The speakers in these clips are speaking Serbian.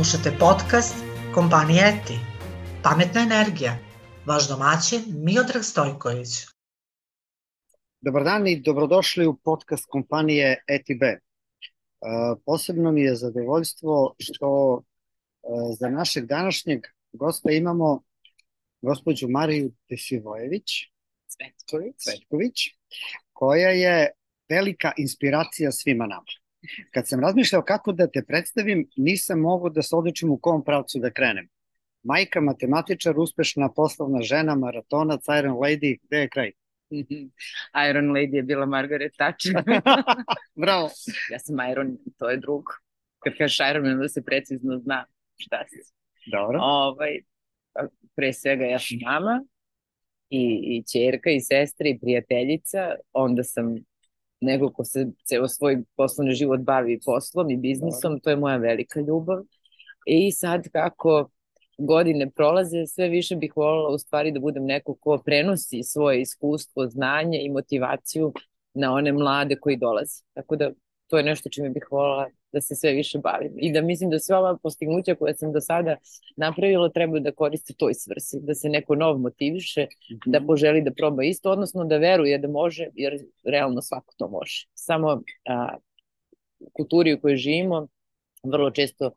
Slušate podcast kompanije ETI. Pametna energija. Vaš domaćin Miodrag Stojković. Dobar dan i dobrodošli u podcast kompanije ETB. Posebno mi je zadovoljstvo što za našeg današnjeg gosta imamo gospođu Mariju Tesivojević Cvetković, koja je velika inspiracija svima nama. Kad sam razmišljao kako da te predstavim, nisam mogao da se odlučim u kom pravcu da krenem. Majka, matematičar, uspešna poslovna žena, maratonac, Iron Lady, gde je kraj? Iron Lady je bila Margaret Thatcher. Bravo. Ja sam Iron, to je drugo. Kad kažeš Iron Man, da se precizno zna šta si. Dobro. Pre svega ja sam mama i ćerka i sestra i prijateljica. Onda sam nego ko se ceo svoj poslovni život bavi poslom i biznisom. To je moja velika ljubav. I sad kako godine prolaze, sve više bih voljela u stvari da budem neko ko prenosi svoje iskustvo, znanje i motivaciju na one mlade koji dolaze. Tako da to je nešto čime bih voljela da se sve više bavim. I da mislim da sve ova postignuća koje sam do sada napravila treba da koriste toj svrsi, da se neko nov motiviše, da poželi da proba isto, odnosno da veruje da može, jer realno svako to može. Samo u kulturi u kojoj živimo, vrlo često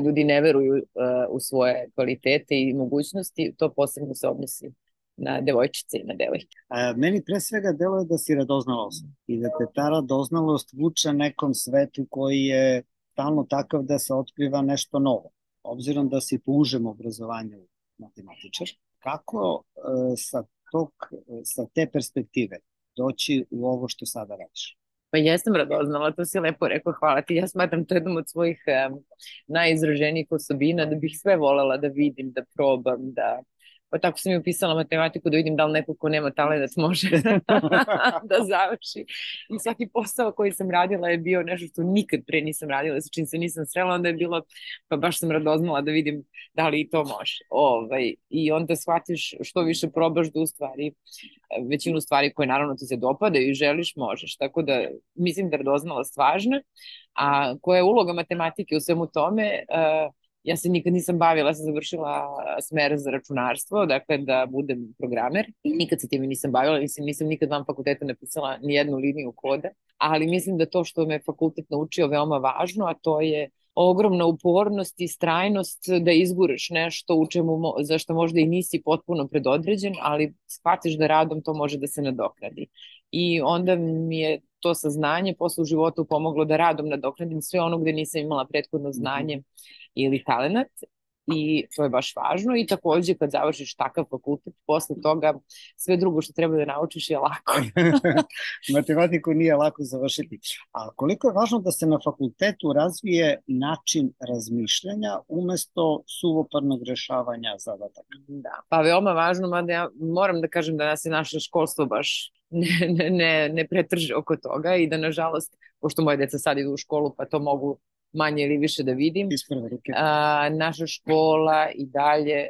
ljudi ne veruju u svoje kvalitete i mogućnosti, to posebno se odnosi na devojčice i na devojke. Meni pre svega deluje da si radoznalost i da te ta radoznalost vuče nekom svetu koji je stalno takav da se otkriva nešto novo. Obzirom da si po užem obrazovanju matematičar, kako sa te perspektive doći u ovo što sada radiš? Pa jesam radoznala, to si lepo rekao, hvala ti. Ja smatram to jednom od svojih najizraženijih osobina, da bih sve volela da vidim, da probam, pa tako sam i upisala matematiku da vidim da li neko ko nema talenat može da završi. I svaki posao koji sam radila je bio nešto što nikad pre nisam radila, sa čim se nisam srela, onda je bilo, pa baš sam radoznala da vidim da li i to može. I onda shvatiš što više probaš da u stvari većinu stvari koje naravno ti se dopadaju i želiš, možeš. Tako da mislim da je radoznalost važna. A koja je uloga matematike u svemu tome? Ja se nikad nisam bavila, ja sam završila smer za računarstvo, dakle da budem programer i nikad se time nisam bavila, nisam nikad van fakulteta napisala ni jednu liniju koda, ali mislim da to što me fakultet naučio veoma važno, a to je ogromna upornost i strajnost da izguraš nešto u čemu, za što možda i nisi potpuno predodređen, ali shvatiš da radom to može da se nadoknadi. I onda mi je to saznanje posle u životu pomoglo da radom nadoknadim sve ono gde nisam imala prethodno znanje ili talenat, i to je baš važno. I takođe kad završiš takav fakultet, posle toga sve drugo što treba da naučiš je lako. Matematiku nije lako završiti. A koliko je važno da se na fakultetu razvije način razmišljanja umesto suvoparnog rešavanja zadataka? Da, pa veoma važno, mada ja moram da kažem da nas je naše školstvo baš ne pretrže oko toga i da nažalost, pošto moje deca sad idu u školu pa to mogu manje ili više da vidim, naša škola i dalje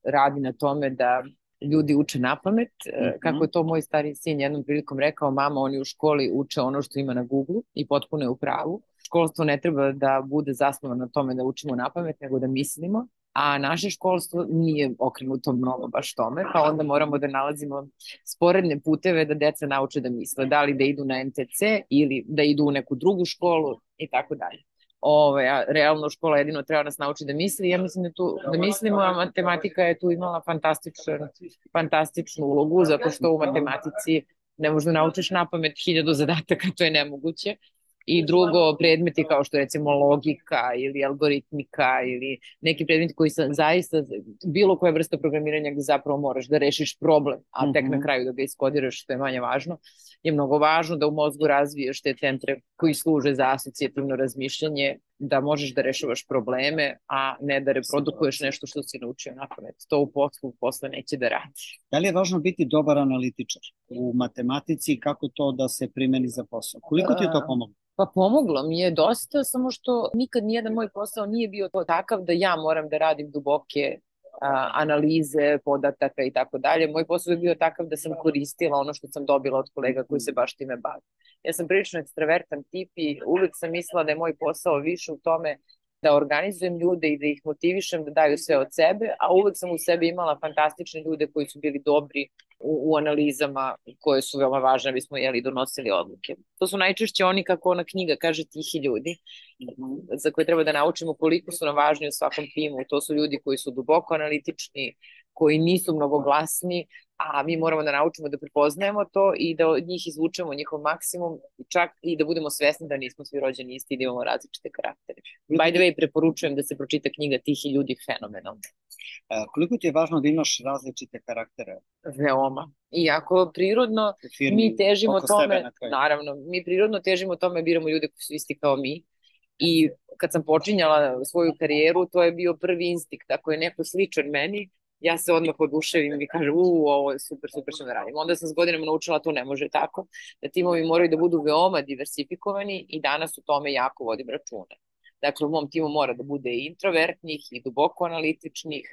radi na tome da ljudi uče napamet. Kako je to moj stari sin jednom prilikom rekao, mama, oni u školi uče ono što ima na Google i potpuno je u pravu. Školstvo ne treba da bude zasnovano na tome da učimo napamet, nego da mislimo, a naše školstvo nije okrenuto mnogo baš tome, pa onda moramo da nalazimo sporedne puteve da deca nauče da misle, da li da idu na NTC ili da idu u neku drugu školu i tako dalje. Realno škola jedino treba nas nauči da misli. Ja mislim da mislimo, a matematika je tu imala fantastičnu ulogu, zato što u matematici ne možda naučiš napamet 1000 zadataka, to je nemoguće. I drugo, predmeti kao što recimo logika ili algoritmika ili neki predmeti koji su zaista bilo koja vrsta programiranja gde zapravo moraš da rešiš problem, a tek na kraju da ga iskodiraš, što je manje važno, je mnogo važno da u mozgu razviješ te centre koji služe za asocijativno razmišljanje, da možeš da rešavaš probleme, a ne da reprodukuješ nešto što si naučio napamet. To u poslu posle neće da radi. Da li je važno biti dobar analitičar u matematici i kako to da se primeni za posao? Koliko ti je to pomoglo? Pa pomoglo mi je dosta, samo što nikad nijedan moj posao nije bio takav da ja moram da radim duboke analize podataka i tako dalje. Moj posao je bio takav da sam koristila ono što sam dobila od kolega koji se baš time bave. Ja sam prilično ekstravertan tip i uvek sam mislila da je moj posao više u tome da organizujem ljude i da ih motivišem da daju sve od sebe, a uvek sam u sebi imala fantastične ljude koji su bili dobri u analizama koje su veoma važne, bismo donosili odluke. To su najčešće oni, kako ona knjiga kaže, tihi ljudi, za koje treba da naučimo koliko su nam važni u svakom timu. To su ljudi koji su duboko analitični, koji nisu mnogo glasni, a mi moramo da naučimo da prepoznajemo to i da od njih izvučemo njihov maksimum, čak i da budemo svesni da nismo svi rođeni isti i da imamo različite karaktere. By the way, preporučujem da se pročita knjiga Tihi ljudi, fenomenalno. Koliko ti je važno da imaš različite karaktere? Veoma. Iako prirodno mi težimo tome, naravno, mi prirodno težimo tome, biramo ljude koji su isti kao mi. I kad sam počinjala svoju karijeru, to je bio prvi instinkt. Ako je neko sličan meni, ja se odmah oduševim i kažem, ovo je super, super što da radim. Onda sam s godinama naučila to ne može tako, da timovi moraju da budu veoma diversifikovani i danas u tome jako vodim računa. Dakle, u mom timu mora da bude i introvertnih i duboko analitičnih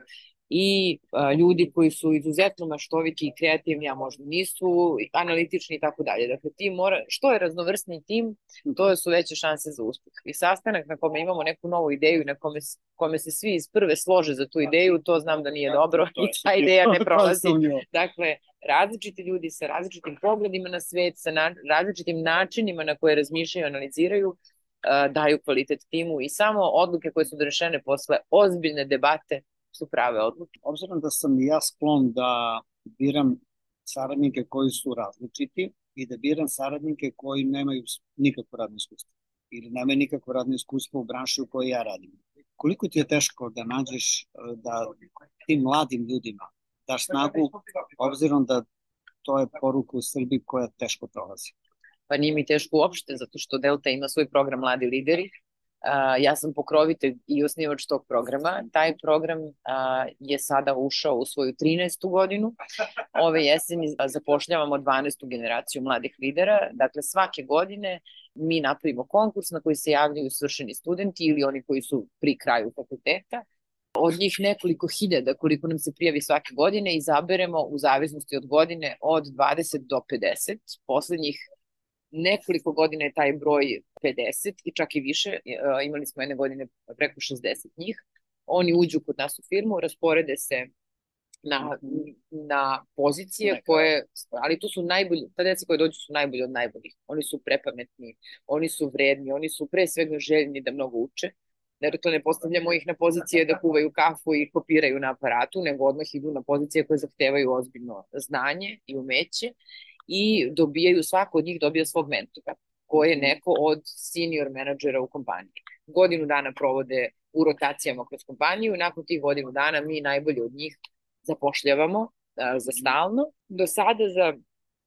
i ljudi koji su izuzetno maštoviti i kreativni, a možda nisu analitični i tako dalje. Dakle, tim mora, što je raznovrsni tim, to su veće šanse za uspeh. I sastanak na kome imamo neku novu ideju i na kome se svi iz prve slože za tu ideju, to znam da nije dobro i ta ideja ne prolazi. Dakle, različiti ljudi sa različitim pogledima na svet, sa različitim načinima na koje razmišljaju i analiziraju, daju kvalitet timu i samo odluke koje su donešene posle ozbiljne debate su prave odluke. Obzirom da sam i ja sklon da biram saradnike koji su različiti i da biram saradnike koji nemaju nikakvo radno iskustvo ili nemaju nikakvo radno iskustvo u branši u kojoj ja radim. Koliko ti je teško da nađeš da tim mladim ljudima daš snagu, obzirom da to je poruka u Srbiji koja teško prolazi? Pa nije mi teško uopšte, zato što Delta ima svoj program Mladi lideri. Ja sam pokrovitelj i osnivač tog programa. Taj program je sada ušao u svoju 13. godinu. Ove jeseni zapošljavamo 12. generaciju mladih lidera. Dakle, svake godine mi napravimo konkurs na koji se javljaju svršeni studenti ili oni koji su pri kraju fakulteta. Od njih nekoliko hiljada, koliko nam se prijavi svake godine, izaberemo u zavisnosti od godine od 20 do 50. Poslednjih nekoliko godina je taj broj 50 i čak i više. Imali smo jedne godine preko 60 njih. Oni uđu kod nas u firmu, rasporede se na pozicije koje, ali to su najbolji, ta deca koje dođu su najbolji od najboljih. Oni su prepametni, oni su vredni, oni su pre svega željni da mnogo uče. Dakle, ne postavljamo ih na pozicije da kuvaju kafu i kopiraju na aparatu, nego odmah idu na pozicije koje zahtevaju ozbiljno znanje i umeće i svako od njih dobija svog mentora, koji je neko od senior menadžera u kompaniji. Godinu dana provode u rotacijama kroz kompaniju i nakon tih godinu dana mi najbolje od njih zapošljavamo za stalno. Do sada za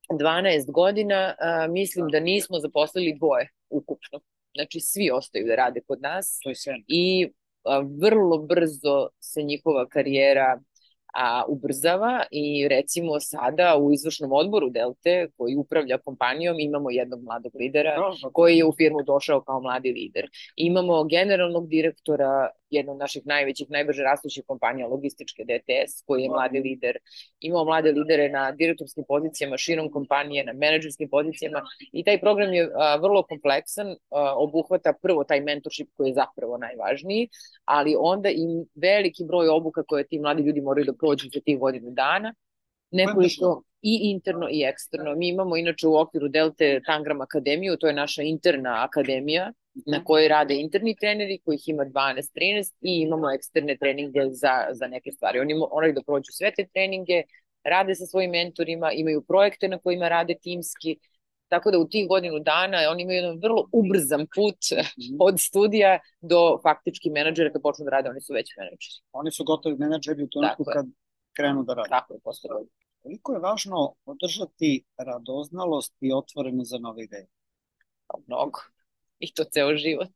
12 godina mislim da nismo zaposlili dvoje ukupno. Znači, svi ostaju da rade kod nas i vrlo brzo se njihova karijera ubrzava i recimo sada u izvršnom odboru Delte koji upravlja kompanijom imamo jednog mladog lidera koji je u firmu došao kao mladi lider. Imamo generalnog direktora jednog od naših najvećih, najbrže rastućih kompanija logističke DTS koji je mladi lider. Imamo mlade lidere na direktorskim pozicijama širom kompanije, na menadžerskim pozicijama i taj program je vrlo kompleksan, obuhvata prvo taj mentorship koji je zapravo najvažniji, ali onda i veliki broj obuka koje ti mladi ljudi moraju da prođu za tih godinu dana, nekoliko i interno i eksterno. Mi imamo inače u okviru Delte Tangram akademiju, to je naša interna akademija na kojoj rade interni treneri, kojih ima 12-13 i imamo eksterne treninge za neke stvari. Oni moraju da prođu sve te treninge, rade sa svojim mentorima, imaju projekte na kojima rade timski, tako da u tih godinu dana oni imaju jedan vrlo ubrzan put od studija do faktički menadžera kad počnu da rade, oni su već menadžeri. Oni su gotovi menadžeri u trenutku kad krenu da rade. Tako je, posle godina. Koliko je važno održati radoznalost i otvoreno za nove ideje? Mnogo. I to ceo život.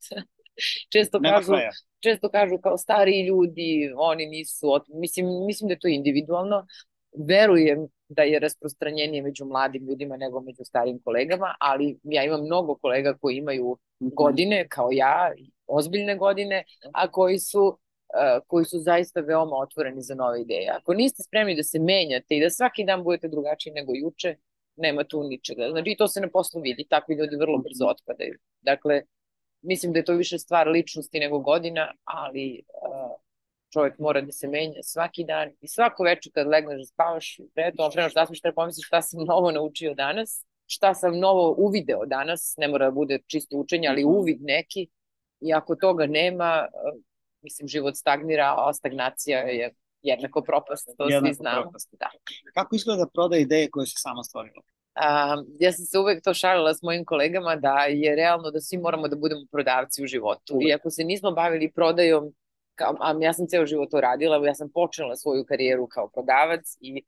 Često kažu kao stariji ljudi, oni nisu, mislim da je to individualno. Verujem da je rasprostranjenije među mladim ljudima nego među starim kolegama, ali ja imam mnogo kolega koji imaju godine, kao ja, ozbiljne godine, a koji su zaista veoma otvoreni za nove ideje. Ako niste spremni da se menjate i da svaki dan budete drugačiji nego juče, nema tu ničega. Znači, to se na poslu vidi, takvi ljudi vrlo brzo otpadaju. Dakle, mislim da je to više stvar ličnosti nego godina, ali čovjek mora da se menja svaki dan i svako večer kad legneš da spavaš, preto okrenuš da treba pomisliš šta sam novo naučio danas, šta sam novo uvideo danas, ne mora da bude čisto učenje, ali uvid neki, i ako toga nema, mislim, život stagnira, a stagnacija je jednako propast, to svi znamo. Propast. Da. Kako izgleda prodaja ideje koje si sama stvorila? Ja sam se uvek to šalila s mojim kolegama da je realno da svi moramo da budemo prodavci u životu. I ako se nismo bavili prodajom, ja sam ceo život to radila, ja sam počela svoju karijeru kao prodavac i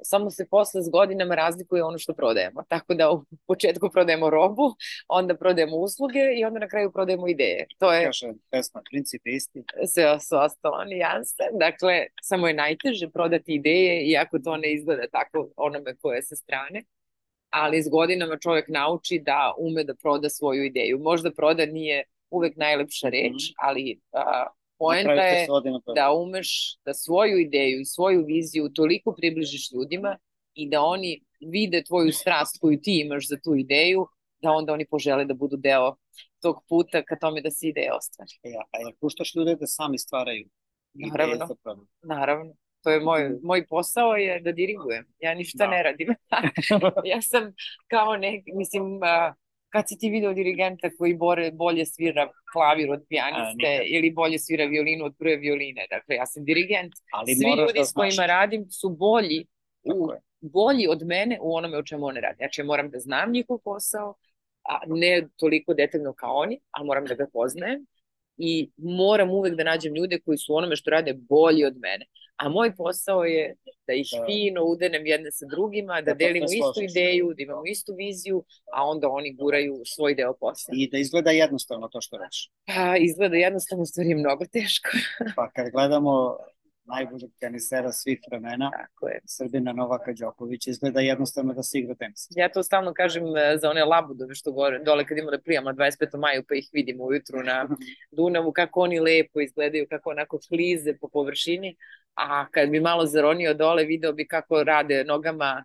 samo se posle s godinama razlikuje ono što prodajemo. Tako da u početku prodajemo robu, onda prodajemo usluge i onda na kraju prodajemo ideje. To je... Kaže, pesma, princip je isti. Sve su ostalo nijanse. Dakle, samo je najteže prodati ideje, iako to ne izgleda tako onome koje je sa strane. Ali s godinama čovjek nauči da ume da proda svoju ideju. Možda proda nije uvek najlepša reč, ali poenta je da umeš da svoju ideju i svoju viziju toliko približiš ljudima i da oni vide tvoju strast koju ti imaš za tu ideju, da onda oni požele da budu deo tog puta ka tome da se ideja ostvari. A jel puštaš ljude da sami stvaraju ideje za prodaju? Naravno. To je moj posao je da dirigujem. Ja ništa ne radim. Ja sam kao mislim, kad si ti video dirigenta koji bolje svira klavir od pijaniste ili bolje svira violinu od prve violine. Dakle, ja sam dirigent. Svi ljudi s kojima radim su bolji od mene u onome o čemu one rade. Znači, ja moram da znam njihov posao, ne toliko detaljno kao oni, ali moram da ga poznajem i moram uvek da nađem ljude koji su onome što rade bolji od mene. A moj posao je da ih fino udenem jedne sa drugima, da delimo istu ideju, da imamo istu viziju, a onda oni guraju svoj deo posla. I da izgleda jednostavno to što reći. Izgleda jednostavno, stvari je mnogo teško. Pa kad gledamo najboljeg tenisera svih vremena, Srbina Novaka Đokovića, izgleda jednostavno da se igra tenis. Ja to stalno kažem za one labudove što gore, dole kad imamo da plijamo na 25. maju pa ih vidimo ujutru na Dunavu, kako oni lepo izgledaju, kako onako klize po površini, a kad bi malo zaronio dole, video bi kako rade nogama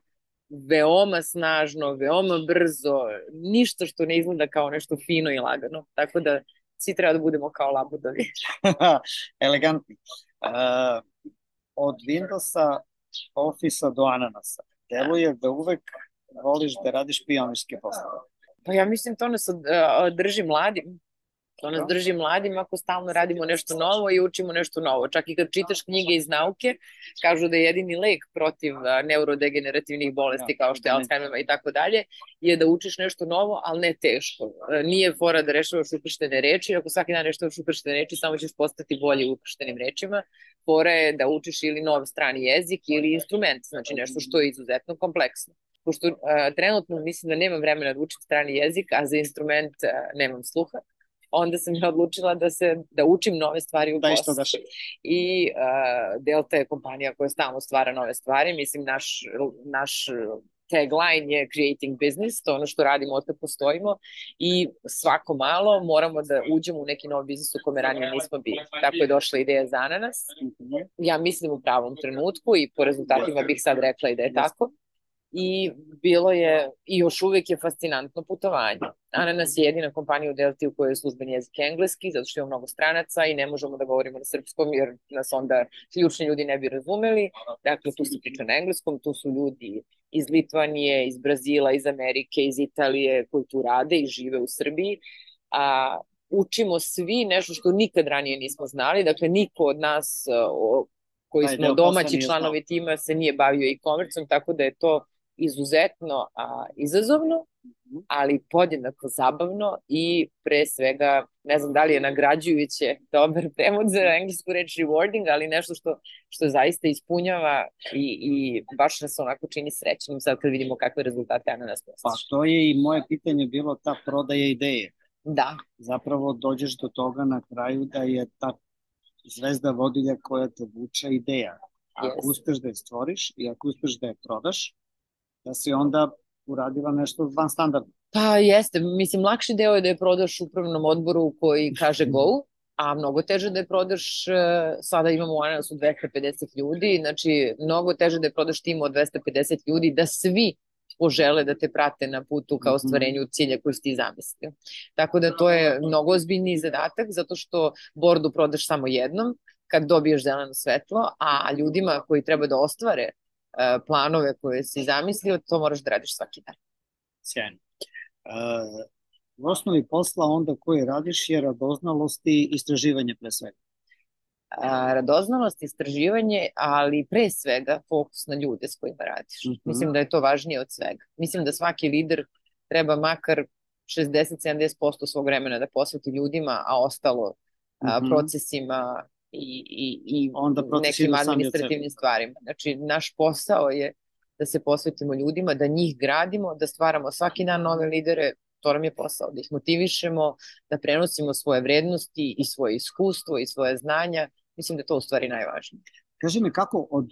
veoma snažno, veoma brzo, ništa što ne izgleda kao nešto fino i lagano, tako da svi treba da budemo kao labudovi. Elegantni. Od Windowsa, Office-a do Ananasa, deluje da uvek voliš da radiš pionirske poslove. Pa ja mislim to nas drži mladim. To nas drži mladim ako stalno radimo nešto novo i učimo nešto novo. Čak i kad čitaš knjige iz nauke, kažu da je jedini lek protiv neurodegenerativnih bolesti kao što je Alzheimerova i tako dalje, je da učiš nešto novo, ali ne teško. Nije fora da rešavaš ukrštene reči, ako svaki dan rešavaš ukrštene reči, samo ćeš postati bolji u ukrštenim rečima. Fora je da učiš ili nov strani jezik ili instrument, znači nešto što je izuzetno kompleksno. Pošto trenutno mislim da nemam vremena da učim strani jezik, a za instrument nemam sluha, onda sam ja odlučila da učim nove stvari u poslu. I Delta je kompanija koja stalno stvara nove stvari. Mislim, naš tagline je creating business, to je ono što radimo od kad postojimo i svako malo moramo da uđemo u neki novi biznis u kome ranije nismo bili. Tako je došla ideja za Ananas. Ja mislim u pravom trenutku i po rezultatima bih sad rekla i da je tako. I bilo je, i još uvek je fascinantno putovanje. Ananas je jedina kompanija u Delti u kojoj je službeni jezik engleski, zato što ima mnogo stranaca i ne možemo da govorimo na srpskom jer nas onda ključni ljudi ne bi razumeli. Dakle, tu se priča na engleskom, tu su ljudi iz Litvanije, iz Brazila, iz Amerike, iz Italije koji tu rade i žive u Srbiji. Učimo svi nešto što nikad ranije nismo znali, dakle niko od nas koji smo domaći članovi tima se nije bavio e-commerceom, tako da je to izuzetno izazovno, ali podjednako zabavno i pre svega, ne znam da li je nagrađujuće dobar prevod za englesku reč rewarding, ali nešto što zaista ispunjava i baš nas onako čini srećnim sad kad vidimo kakve rezultate Ananas postiže. Pa to je i moje pitanje bilo ta prodaja ideje. Da. Zapravo dođeš do toga na kraju da je ta zvezda vodilja koja te vuče ideja. Ako uspeš da je stvoriš i ako uspeš da je prodaš, da si onda uradila nešto van standarda. Pa jeste, mislim, lakši deo je da je prodaš upravnom odboru koji kaže go, a mnogo teže da je prodaš, sada imamo u Ananasu 250 ljudi, znači mnogo teže da je prodaš timu od 250 ljudi, da svi požele da te prate na putu ka ostvarenju cilja koji si ti zamislio. Tako da to je mnogo ozbiljniji zadatak, zato što bordu prodaš samo jednom, kad dobiješ zeleno svetlo, a ljudima koji treba da ostvare planove koje si zamislio, to moraš da radiš svaki dan. Sjajno. U osnovi posla onda koji radiš je radoznalost i istraživanje pre svega. Radoznalost, istraživanje, ali pre svega fokus na ljude s kojima radiš. Mislim da je to važnije od svega. Mislim da svaki lider treba makar 60-70% svog vremena da posveti ljudima, a ostalo procesima i nekim administrativnim stvarima. Znači, naš posao je da se posvetimo ljudima, da njih gradimo, da stvaramo svaki dan nove lidere. To nam je posao, da ih motivišemo, da prenosimo svoje vrednosti i svoje iskustvo i svoje znanja. Mislim da je to u stvari najvažnije. Kaži mi, kako od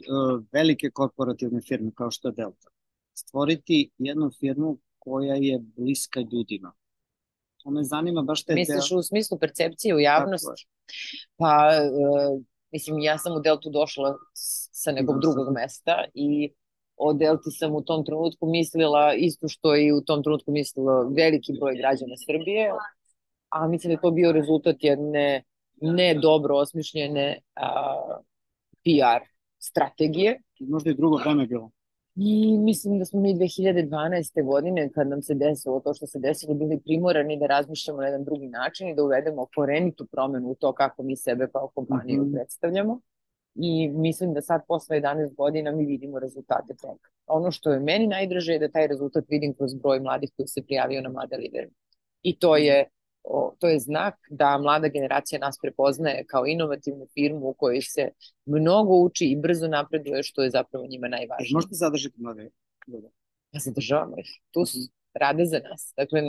velike korporativne firme kao što je Delta stvoriti jednu firmu koja je bliska ljudima? To me zanima baš te... Misliš u smislu percepcije u javnosti? Pa, mislim, ja sam u Deltu došla sa nekog drugog mesta i o Delti sam u tom trenutku mislila isto što i u tom trenutku mislila veliki broj građana Srbije, a mislim da je to bio rezultat jedne ne dobro osmišljene PR strategije. Možda i drugo vreme bilo. I mislim da smo mi 2012. godine, kad nam se desilo to što se desilo, bili primorani da razmišljamo na jedan drugi način i da uvedemo korenitu promenu u to kako mi sebe kao kompaniju predstavljamo. I mislim da sad posle 11 godina mi vidimo rezultate toga. Ono što je meni najdraže je da taj rezultat vidim kroz broj mladih koji se prijavio na Mlade lidere. I to je znak da mlada generacija nas prepoznaje kao inovativnu firmu u kojoj se mnogo uči i brzo napreduje, što je zapravo njima najvažnije. Možete zadržati mlade ljude? Ja zadržavamo ih. Tu su, rade za nas. Dakle,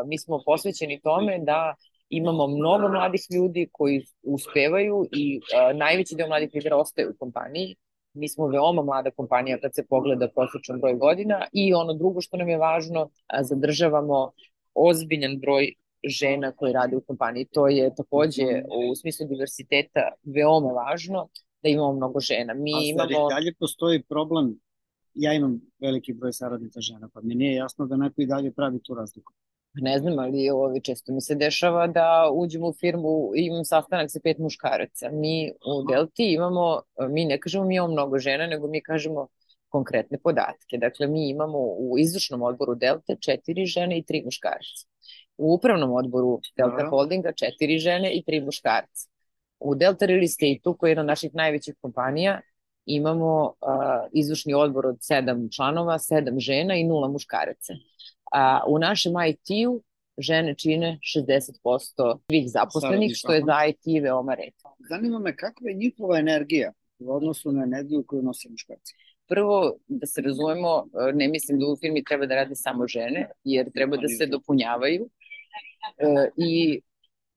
mi smo posvećeni tome da imamo mnogo mladih ljudi koji uspevaju i najveći deo mladih lidera ostaje u kompaniji. Mi smo veoma mlada kompanija kad se pogleda prosječan broj godina i ono drugo što nam je važno, zadržavamo ozbiljan broj žena koji rade u kompaniji. To je takođe u smislu diversiteta veoma važno da imamo mnogo žena. A dalje postoji problem, ja imam veliki broj saradnica žena, pa mi nije jasno da neko i dalje pravi tu razliku. Ne znam, ali često mi se dešava da uđemo u firmu i imam sastanak sa 5 muškaraca. Mi u Delti mi ne kažemo mi imamo mnogo žena, nego mi kažemo konkretne podatke. Dakle, mi imamo u izvršnom odboru Delte 4 žene i 3 muškarca. U upravnom odboru Delta Holdinga 4 žene i 3 muškarca. U Delta Real Estate-u, koji je jedna od naših najvećih kompanija, imamo izvršni odbor od 7 članova, 7 žena i 0 muškaraca. U našem IT-u žene čine 60% svih zaposlenih, što je za IT veoma retko. Zanima me kakva je njihova energija u odnosu na energiju koju nose muškarci? Prvo, da se razumemo, ne mislim da u firmi treba da rade samo žene, jer treba da se dopunjavaju i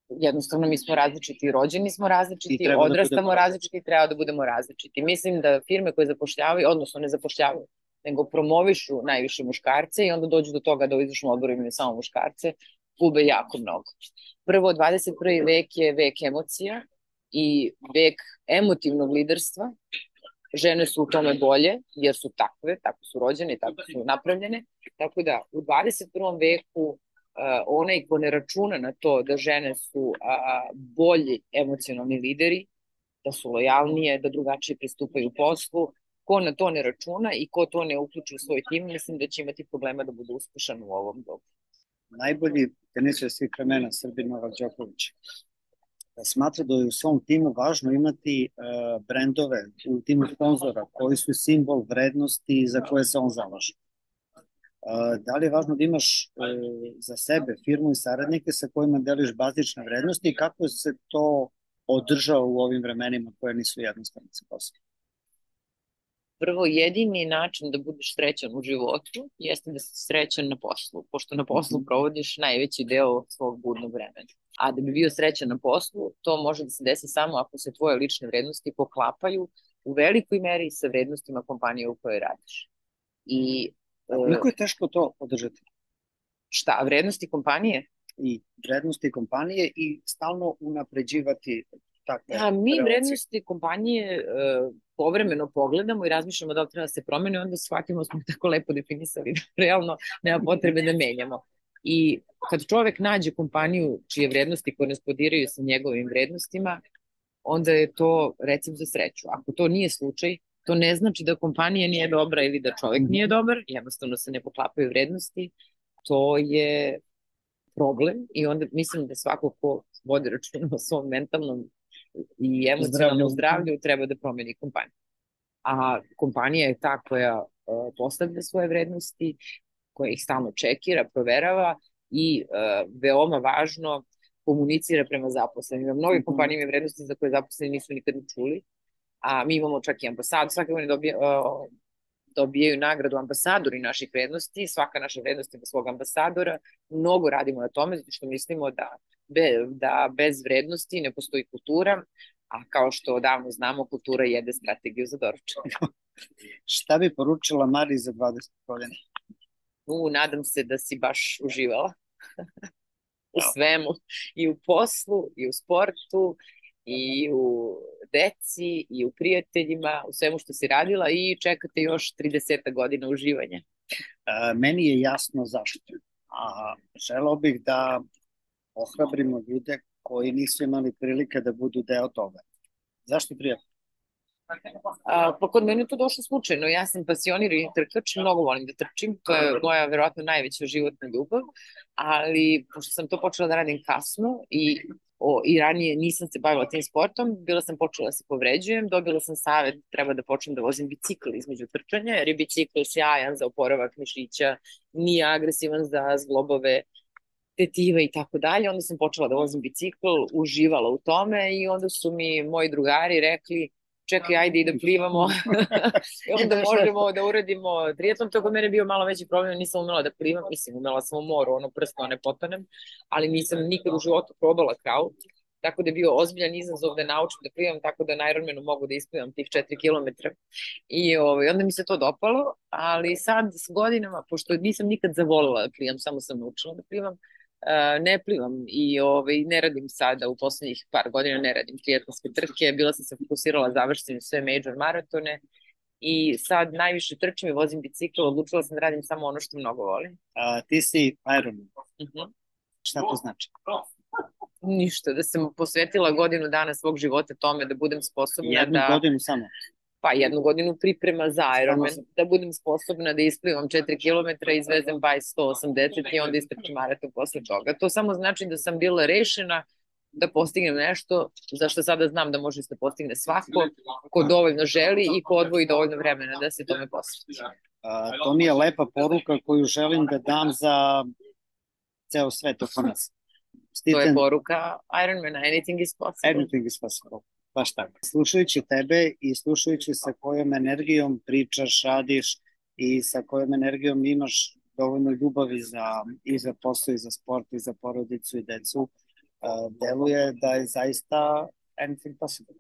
jednostavno mi smo različiti, rođeni smo različiti, odrastamo različiti i treba da budemo različiti. Mislim da firme koje zapošljavaju, odnosno ne zapošljavaju, nego promovišu najviše muškarce i onda dođu do toga da u izvršnom odboru imaju samo muškarce, gube jako mnogo. Prvo, 21. vek je vek emocija i vek emotivnog liderstva. Žene su u tome bolje, jer su takve, tako su rođene i tako su napravljene. Tako da, u 21. veku onaj ko ne računa na to da žene su bolji emocionalni lideri, da su lojalnije, da drugačije pristupaju poslu, ko na to ne računa i ko to ne uključi u svoj tim, mislim da će imati problema da bude uspešan u ovom dobu. Najbolji teniser svih vremena, Srbin Novak Đoković, smatra da je u svom timu važno imati brendove u timu sponzora koji su simbol vrednosti za koje se on zalaže. Da li je važno da imaš za sebe firmu i saradnike sa kojima deliš bazične vrednosti i kako se to održao u ovim vremenima koje nisu jednostavne sa poslom? Prvo, jedini način da budeš srećan u životu jeste da si srećan na poslu, pošto na poslu provodiš najveći deo svog budnog vremena. A da bi bio srećan na poslu, to može da se desi samo ako se tvoje lične vrednosti poklapaju u velikoj meri sa vrednostima kompanije u kojoj radiš. Koliko je teško to održati? Šta, vrednosti kompanije? I vrednosti kompanije i stalno unapređivati takve relacije. Mi vrednosti kompanije povremeno pogledamo i razmišljamo da li treba da se promeni, onda shvatimo da smo tako lepo definisali da realno nema potrebe da menjamo. I kad čovek nađe kompaniju čije vrednosti korespondiraju sa njegovim vrednostima, onda je to recept za sreću. Ako to nije slučaj, to ne znači da kompanija nije dobra ili da čovek nije dobar, jednostavno se ne poklapaju vrednosti, to je problem i onda mislim da svako ko vodi računa o svom mentalnom i emocionalnom zdravlju treba da promeni kompaniju. A kompanija je ta koja postavlja svoje vrednosti, koja ih stalno čekira, proverava i veoma važno komunicira prema zaposlenima. Mnoge kompanije imaju vrednosti za koje zaposleni nisu nikad čuli, a mi imamo čak i ambasadu, svake godine dobijaju nagradu ambasadori naših vrednosti, svaka naša vrednost ima svog ambasadora, mnogo radimo na tome, zato što mislimo da bez vrednosti ne postoji kultura, a kao što odavno znamo, kultura jede strategiju za doručak. Šta bi poručila Mariji za 20 godina? Nadam se da si baš uživala u svemu, i u poslu, i u sportu, i u deci, i u prijateljima, u svemu što si radila i čekate još 30 godina uživanja. Meni je jasno zašto. A želeo bih da ohrabrimo ljude koji nisu imali prilike da budu deo toga. Zašto prijatno? Pa kod mene je to došlo slučajno. Ja sam pasionirani trkač, mnogo volim da trčim, to je moja verovatno najveća životna ljubav, ali pošto sam to počela da radim kasno i ranije nisam se bavila tim sportom, bila sam počela da se povređujem, dobila sam savet, treba da počnem da vozim bicikl između trčanja, jer je bicikl sjajan za oporavak mišića, nije agresivan za zglobove tetive i tako dalje. Onda sam počela da vozim bicikl, uživala u tome i onda su mi moji drugari rekli čekaj, ajde i da plivamo. I onda možemo da uradimo triatlon. To kod mene bio malo veći problem, nisam umela da plivam, mislim, umela sam u moru, ono prsto ne potonem, ali nisam nikad u životu probala kraul, tako da je bio ozbiljan izazov da naučim da plivam, tako da na Ironmanu mogu da isplivam tih 4 km. I onda mi se to dopalo, ali sad s godinama, pošto nisam nikad zavolila da plivam, samo sam naučila da plivam, ne plivam i ne radim sada, u poslednjih par godina ne radim triatlonske trke, bila sam se fokusirala završiti sve major maratone i sad najviše trčim i vozim bicikl, odlučila sam da radim samo ono što mnogo volim. Ti si Ironman. Šta to znači? Ništa, da sam posvetila godinu dana svog života tome da budem sposobna Jednu godinu samo? Pa 1 godinu priprema za Ironman, da budem sposobna da isplivam 4 km, izvezem bajs 180 i onda istrčim maraton posle toga. To samo znači da sam bila rešena da postignem nešto za što sada znam da može se postigne svako ko dovoljno želi i ko odvoji dovoljno vremena da se tome posveti. To mi je lepa poruka koju želim da dam za ceo svet oko nas. To je poruka Ironmana, anything is possible. Anything is possible. Baš tako. Slušajući tebe i slušajući sa kojom energijom pričaš, radiš i sa kojom energijom imaš dovoljno ljubavi i za posao, i za sport, i za porodicu i decu, deluje da je zaista anything possible.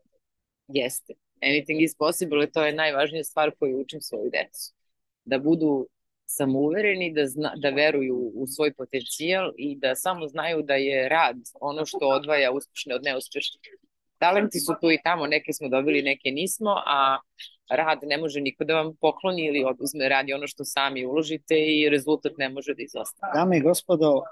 Jeste. Anything is possible, to je najvažnija stvar koju učim svoju decu. Da budu samouvereni, da veruju u svoj potencijal i da samo znaju da je rad ono što odvaja uspešne od neuspešnih. Talenti su tu i tamo, neke smo dobili, neke nismo, a rad ne može niko da vam pokloni ili oduzme, radi ono što sami uložite i rezultat ne može da izostane. Dame i gospodo,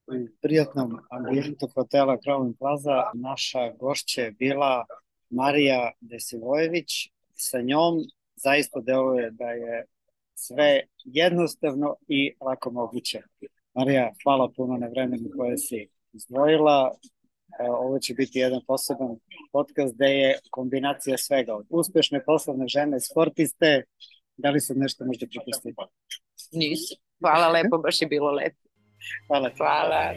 u prijatnom ambijentu hotela Crowley Plaza naša gošća je bila Marija Desivojević. Sa njom zaista deluje da je sve jednostavno i lako moguće. Marija, hvala puno na vremenu koje si izdvojila. Ovo će biti jedan poseban podcast gde je kombinacija svega od uspešne poslovne žene, sportiste. Da li sam nešto možda propustila? Nisam. Hvala lepo, baš je bilo lepo. Hvala. Hvala.